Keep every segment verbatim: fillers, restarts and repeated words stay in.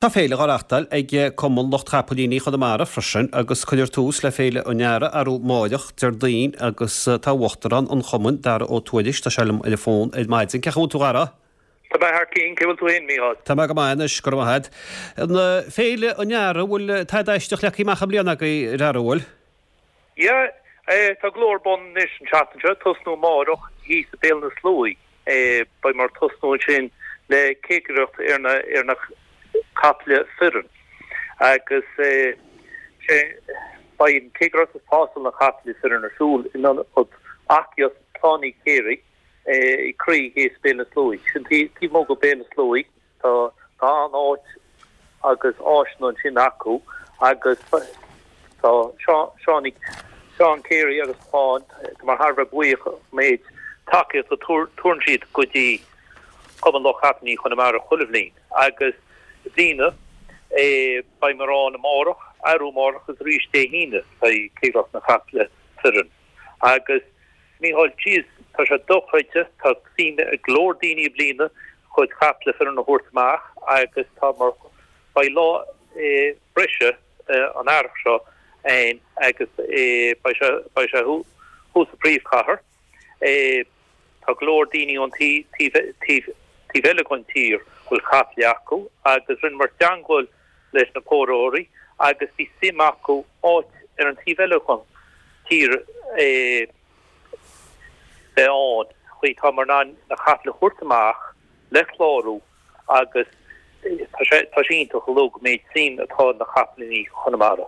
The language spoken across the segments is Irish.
Tá féile á reáchtáil ag Cumann Lucht Chapaillíní Chonamara freisin agus cuirfear tús le Féile an Earraigh arú amáireach, Déardaoin, agus tá Uachtarán an Chumainn, Dara Ó Tuairisg, tá sé liom ar an bhfón ar maidin. Cén chaoi a bhfuil tú, a Dhara? Tá mé thar cionn, cén chaoi a bhfuil tú féin, Mícheál? Tá mé go maith anois, go raibh maith agat. An Féile an Earraigh, bhfuil tada aisteach leagtha amach i mbliana agaibh, a Dhara, bhfuil? Yeah, tá go leor ar bun anois an tseachtain seo, tosnú amáireach thíos i Béal na Sluaighe. Beidh muid ag tosnú ansin le céigireacht ar na ar na caiple fireann agus sé beidh an chéigireacht is tástáil na caiple fireann ar siúl in ionad aclaíocht Clann Uí Chéirigh i gCroí thíos Béal na Sluaighe. Sin taobh amuigh de Béal na Sluaighe tá tá an-áit agus áiseanna ansin acu agus tá Seán Seán Carey agus Clann mar thar a bheith buíoch an méid tacaíocht a tugann siad go dtí Cumann Lucht Capaillíní Chonamara chuile bhliain agus i mbliana beidh muid ann amárach, arú amárach agus arís Dé hAoine beidh céigireacht na caiple fireann. Agus Mícheál, jeez, tá sé dochreidte, tá suim ag go leor daoine i mbliana a gcuid caiple fireann a thabhairt amach agus tá mar beidh lá breise an earrach seo ann agus beidh sé beidh sé thuas sa phríomhchathair. Tá go leor daoine ón taobh taobh eile den tír go bhfuil caiple acu agus rinneamar teagmháil leis na póraitheoirí agus bhí suim acu áit ar an taobh eile den tír a bheith ann chaoi tá muid in ann na caiple a thabhairt amach le clárú agus tá sé tá sé iontach uilig an méid suim atá na capaillíní Chonamara.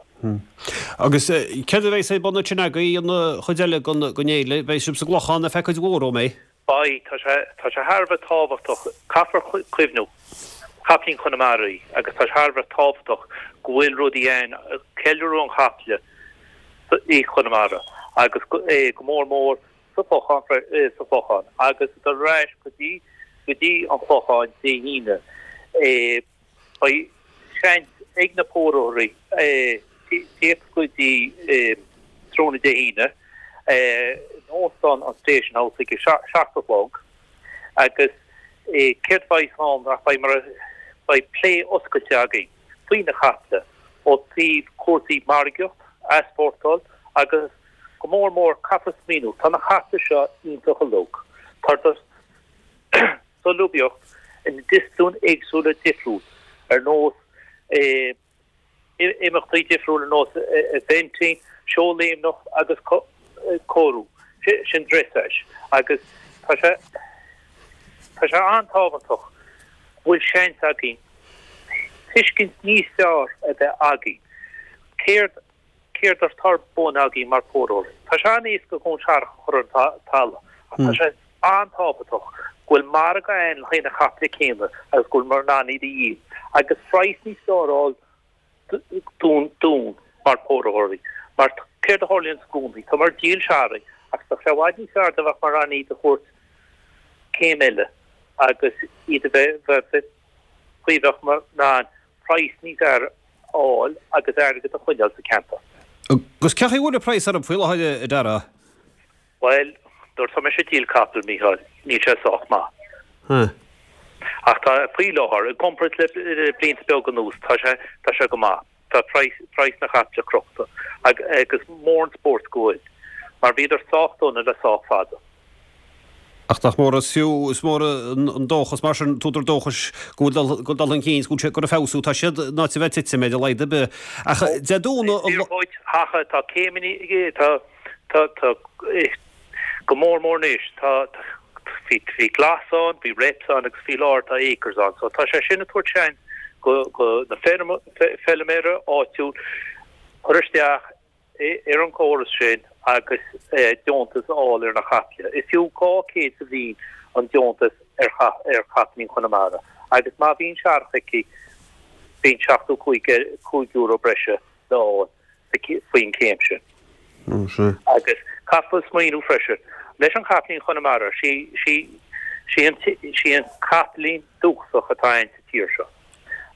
Agus céard a bheidh ar bun ansin agaibh an chuid eile den fhéile? Beidh sibh sa gClochán ar feadh cuid mhór, an mbeidh? Beidh, tá sé tá sé thar a bheith tábhachtach, caithfear cuimhniú, capaillín Chonamara í agus tá sé thar a bheith tábhachtach go bhfuil rudaí ann, ceiliúradh an chaiple i Chonamara agus go mór mór sa Chlochán sa Chlochán agus dul ar ais go dtí go dtí an Clochán Dé hAoine. Beidh seans ag na póraitheoirí tíocht go dtí tráthnóna Dé hAoine in Óstán an Station House ag a seacht a chlog agus céard a bheidh ann ach beidh mar beidh plé oscailte againn faoi na caiple ó taobh cúrsaí margaíocht, easpórtáil agus go mór mór caithfear smaoineamh tá na caiple seo iontach uilig. Tá solúbthacht i ndisciplín éagsúla difriúil ar nós imeachtaí difriúil ar nós eventing, seóléimneach agus cóiriú, sin dressage agus tá sé tá sé an-tábhachtach go bhfuil seans againn tuiscint níos fearr a bheith againn céard céard atá ar bun againn mar phóraitheoirí. Tá sé an-éasca chun searrach a chur ar an talamh ach tá sé an-tábhachtach go bhfuil margadh ann le haghaidh na caiple céanna agus go bhfuil muid in ann iad a dhíol agus praghas níos fearr a fháil dúinn dúinn mar phóraitheoirí. Mar céard a tharlaíonn i gcónaí? Tá muid ag díol searraigh ach bheadh sé i bhfad níos fearr dá mbeadh muid in ann iad a thabhairt céim eile agus iad a bheith bheith faoi bheadh muid in ann praghas níos fearr a fháil agus airgead a choinneáil sa cheantar. Agus cén chaoi a bhfuil an praghas orthu faoi láthair, a Dhara? Bhuel, nuair atá mise ag díol capall, Mícheál, níl sé sách maith. Ach tá, faoi láthair, i gcomparáid le blianta beaga anuas, tá sé, tá sé go maith. Tá praghas, praghas na caiple crochta agus mór an spórt go bhfuil, mar bhíodar sách dona le sách fada. Ach nach mór is fiú, is mór an dóchas mar sin, t-údar dóchais go bhfuil dul chun cinn, go bhfuil sé ag feabhsú, tá siad in áit a bheith ag titim ar a laghad ar bith. Ach Dé Domhnaigh an. Is fíor dhuit, ach tá céimeanna, tá, tá, tá, go mór mór anois, tá, bhí, bhí glas ann, bhí reps ann agus faoi láthair tá acres ann. So tá sé sin ag tabhairt seans go, go na feilméara áitiúil cur isteach ar an gcóras sin agus deontas a fháil ar na caiple. Is fiú dhá chéad sa bhliain an deontas ar ar chapaillín Chonamara agus má bhíonn searrach aici bíonn seachtó cúig cúig euro breise le fáil faoin chéim sin. Agus caithfear smaoineamh freisin leis an chapaillín Chonamara, sí sí sí an sí an capaillín dúchasach atá ann sa tír seo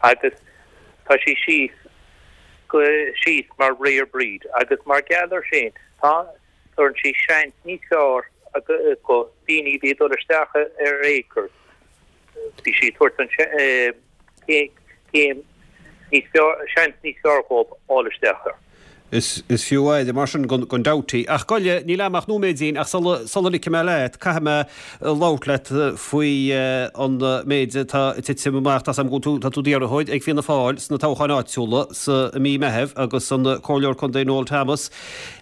agus tá sí síos go síos mar rare breed agus mar gheall ar sin tá tugann sí seans níos fearr go daoine a bhí ag dul isteach ar acres bhí sí ag tabhairt an céim níos fearr, seans níos fearr dhóibh fháil isteach air. Is fiú aire mar sin gan dabht. Ach gabh i leith, níl a'm ach nóiméidín, ach sula ligfidh mé leat, caithfidh mé labhairt leat faoi an méid atá ag titim amach. Tá's a'm go bhfuil tú, tá tú d'iarrthóir ag Fianna Fáil sna toghcháin áitiúla sa mí Meitheamh agus an Comhairleoir Contae Noel Thomas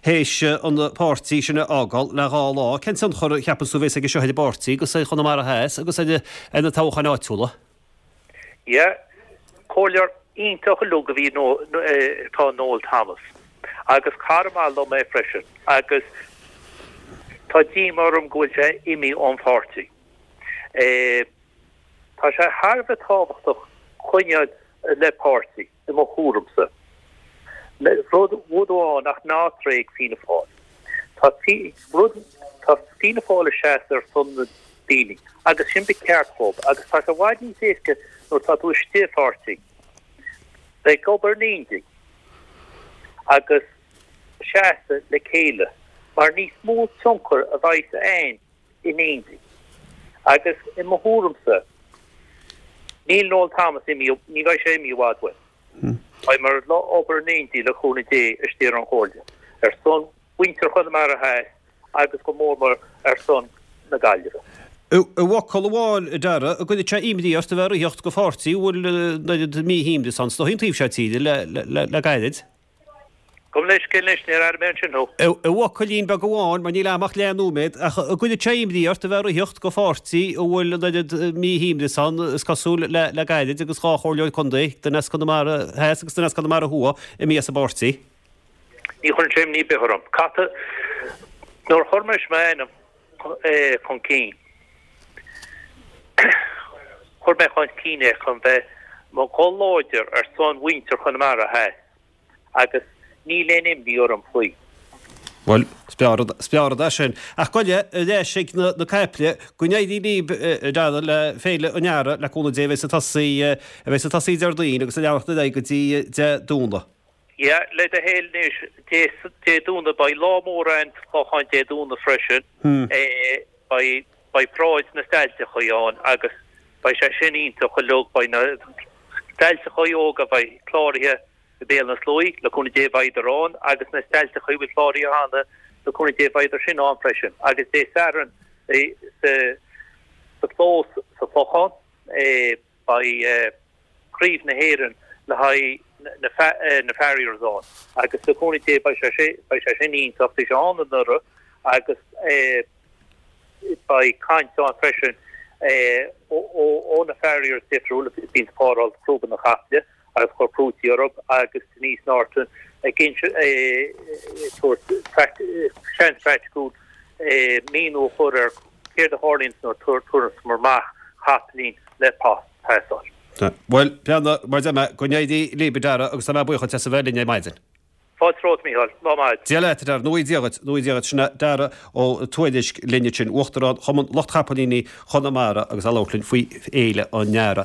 théis an páirtí sin a fhágáil le dhá lá. Cén tionchar a cheapann tú a bheas aige seo ar an bpáirtí agus ar Chonamara Theas agus ar na toghcháin áitiúla? Yeah, comhairleoir iontach uilig a bhí atá Noel Thomas agus cara maith liom é freisin agus tá díoma orm go bhfuil sé imithe ón pháirtí. Tá sé thar a bheith tábhachtach coinneáil le páirtí, i mo thuairimse. Rud amháin ach ná tréig Fianna Fáil. Tá rud tá Fianna Fáil ag seasamh ar son na daoine agus sin ba cheart dóibh agus tá sé i bhfad níos éasca nuair tá tú istigh i pháirtí. Bheith ag obair in éindí agus seasamh le chéile mar níos mó tionchar a bheidh ann in éindí. Agus i mo thuairimse níl Noel Thomas imithe, ní bheidh sé imithe i bhfad uainn. Beidh muid ag obair in éindí le cúnamh Dé istigh ar an Chomhairle ar son mhuintir Chonamara Theas agus go mór mór ar son na Gaillimhe. I bhfocal amháin, a Dara, an gcuirfeadh sé imní ort a bheith ag ritheacht do pháirtí a bhfuil an oiread míshuaimhneas ann, is dóigh, an taobh seo tíre le gairid? Gabh mo leithscéal anois, níor airigh mé ansin thú. I bhfocailín beag amháin, mar níl a'm ach leathnóiméad, ach an gcuirfeadh sé imní ort a bheith ag ritheacht do pháirtí a bhfuil an oiread míshuaimhneas ann, is cosúil, le gairid agus dhá chomhairleoir contae, duine as Conamara Theas agus duine as Conamara Thuaidh, imithe as an bpáirtí? Ní chuireann sé imní ar bith orm. Cad, nuair a chuir mise m'ainm chun cinn, chuir mé chun cinn é chun bheith mo ghuth láidir ar son mhuintir Chonamara Theas agus níl aon imní orm faoi. Bhuel, is breá rud é sin. Ach gabh i leith, ar ais ag na caiple, go n-éirí libh, a Dhara, le Féile an Earraigh, le cúnamh Dé, a bheas ag tosaí, a bheas ag tosaí Déardaoin agus ag leanacht ar aghaidh go dtí Dé Domhnaigh. Yeah, le do thoil anois, Dé, Dé Domhnaigh, beidh lá mór ann sa Chlochán Dé Domhnaigh freisin. Beidh, beidh paráid na stailteachaí ann agus beidh sé sin iontach uilig, beidh na stailteachaí óga a bheidh cláraithe i Béal na Sluaighe, le cúnamh Dé beidh ann agus na stailteachaí a bhfuil cláraithe cheana, le cúnamh Dé beidh sin ann freisin. Agus Dé Sathairn sa, sa chlós sa Chlochán, beidh Craobh na hÉireann le haghaidh na Farriers ann agus le cúnamh Dé beidh sé beidh sé sin iontach, bhí sé ann anuraidh agus beidh caint ann freisin ó na Farriers difriúil a bhíonn ag páráil crúba na caiple agus cur crúití orthu agus Denise Norton ag tabhairt seans praiticiúil míniú a chur ar céard a tharlaíonn nuair a tabharfar amach capaillín le pasáil. Bhuel, breathnaigh, mar a deir mé, go n-éirí libh, a Dhara, agus tá mé buíoch duit as a bheith linn ar maidin. Fáilte romhat, Mícheál. Lá maith. Dia leat, a Dhara. Go ngnóthaí Dia dhuit. Go ngnóthaí Dia dhuit. Sin é Dara Ó Tuairisg linn ansin, Uachtarán Chumann Lucht Chapaillíní Chonamara agus é ag labhairt linn faoi Fhéile an Earraigh.